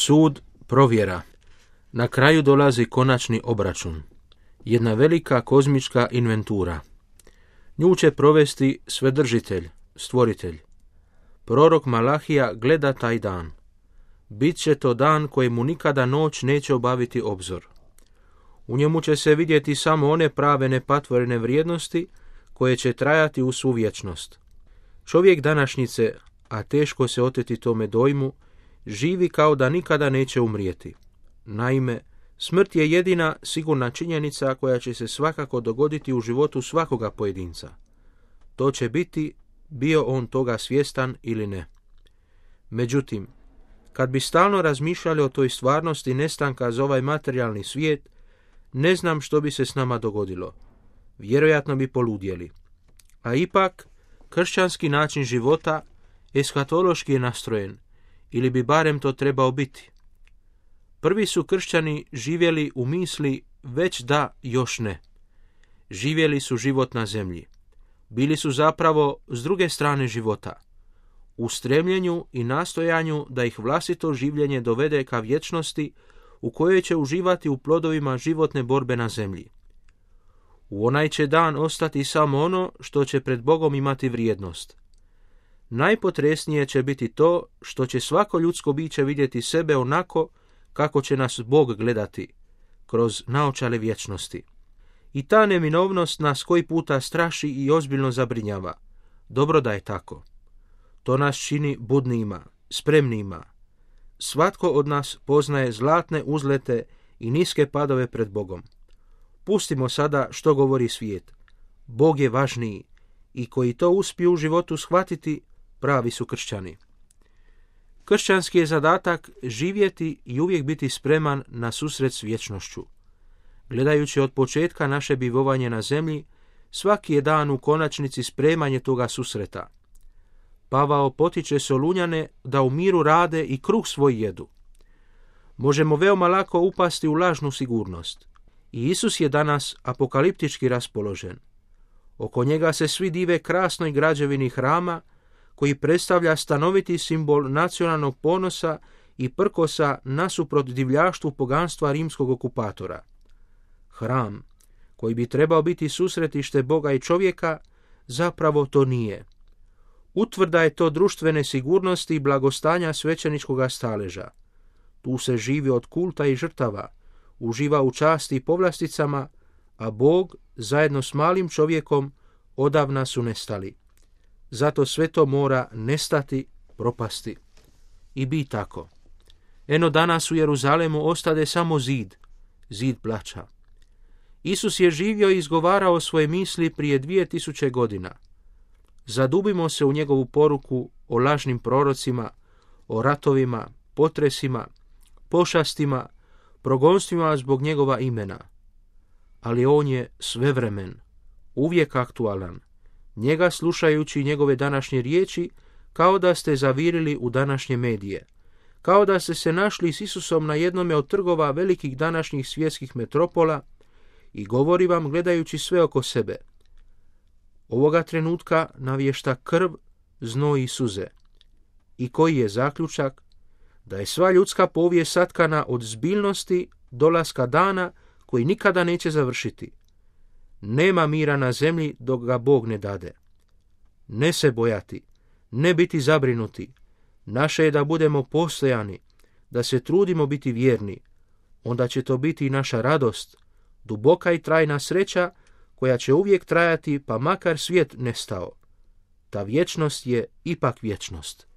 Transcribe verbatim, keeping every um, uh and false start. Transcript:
Sud, provjera. Na kraju dolazi konačni obračun. Jedna velika kozmička inventura. Nju će provesti Svedržitelj, Stvoritelj. Prorok Malahija gleda taj dan. Bit će to dan kojemu nikada noć neće obaviti obzor. U njemu će se vidjeti samo one prave nepatvorene vrijednosti koje će trajati u svu vječnost. Čovjek današnjice, a teško se oteti tome dojmu, živi kao da nikada neće umrijeti. Naime, smrt je jedina sigurna činjenica koja će se svakako dogoditi u životu svakoga pojedinca. To će biti, bio on toga svjestan ili ne. Međutim, kad bi stalno razmišljali o toj stvarnosti nestanka za ovaj materijalni svijet, ne znam što bi se s nama dogodilo. Vjerojatno bi poludjeli. A ipak, kršćanski način života eskatološki je nastrojen, ili bi barem to trebao biti. Prvi su kršćani živjeli u misli već da, još ne. Živjeli su život na zemlji. Bili su zapravo s druge strane života, u stremljenju i nastojanju da ih vlastito življenje dovede ka vječnosti u kojoj će uživati u plodovima životne borbe na zemlji. U onaj će dan ostati samo ono što će pred Bogom imati vrijednost. Najpotresnije će biti to što će svako ljudsko biće vidjeti sebe onako kako će nas Bog gledati, kroz naočale vječnosti. I ta neminovnost nas koji puta straši i ozbiljno zabrinjava. Dobro da je tako. To nas čini budnima, spremnima. Svatko od nas poznaje zlatne uzlete i niske padove pred Bogom. Pustimo sada što govori svijet. Bog je važniji i koji to uspiju u životu shvatiti, pravi su kršćani. Kršćanski je zadatak živjeti i uvijek biti spreman na susret s vječnošću. Gledajući od početka naše bivovanje na zemlji, svaki je dan u konačnici spremanje toga susreta. Pavao potiče Solunjane da u miru rade i kruh svoj jedu. Možemo veoma lako upasti u lažnu sigurnost. I Isus je danas apokaliptički raspoložen. Oko njega se svi dive krasnoj građevini hrama, koji predstavlja stanoviti simbol nacionalnog ponosa i prkosa nasuprot divljaštvu poganstva rimskog okupatora. Hram, koji bi trebao biti susretište Boga i čovjeka, zapravo to nije. Utvrda je to društvene sigurnosti i blagostanja svećeničkoga staleža. Tu se živi od kulta i žrtava, uživa u časti i povlasticama, a Bog zajedno s malim čovjekom odavna su nestali. Zato sve to mora nestati, propasti. I bi tako. Eno danas u Jeruzalemu ostade samo zid, zid plača. Isus je živio i izgovarao svoje misli prije dvije tisuće godina. Zadubimo se u njegovu poruku o lažnim prorocima, o ratovima, potresima, pošastima, progonstvima zbog njegova imena. Ali on je svevremen, uvijek aktualan. Njega slušajući njegove današnje riječi, kao da ste zavirili u današnje medije. Kao da ste se našli s Isusom na jednome od trgova velikih današnjih svjetskih metropola i govori vam gledajući sve oko sebe. Ovoga trenutka navješta krv, znoj i suze. I koji je zaključak? Da je sva ljudska povijest satkana od zbiljnosti dolaska dana koji nikada neće završiti. Nema mira na zemlji dok ga Bog ne dade. Ne se bojati, ne biti zabrinuti. Naše je da budemo postojani, da se trudimo biti vjerni. Onda će to biti i naša radost, duboka i trajna sreća koja će uvijek trajati pa makar svijet nestao. Ta vječnost je ipak vječnost.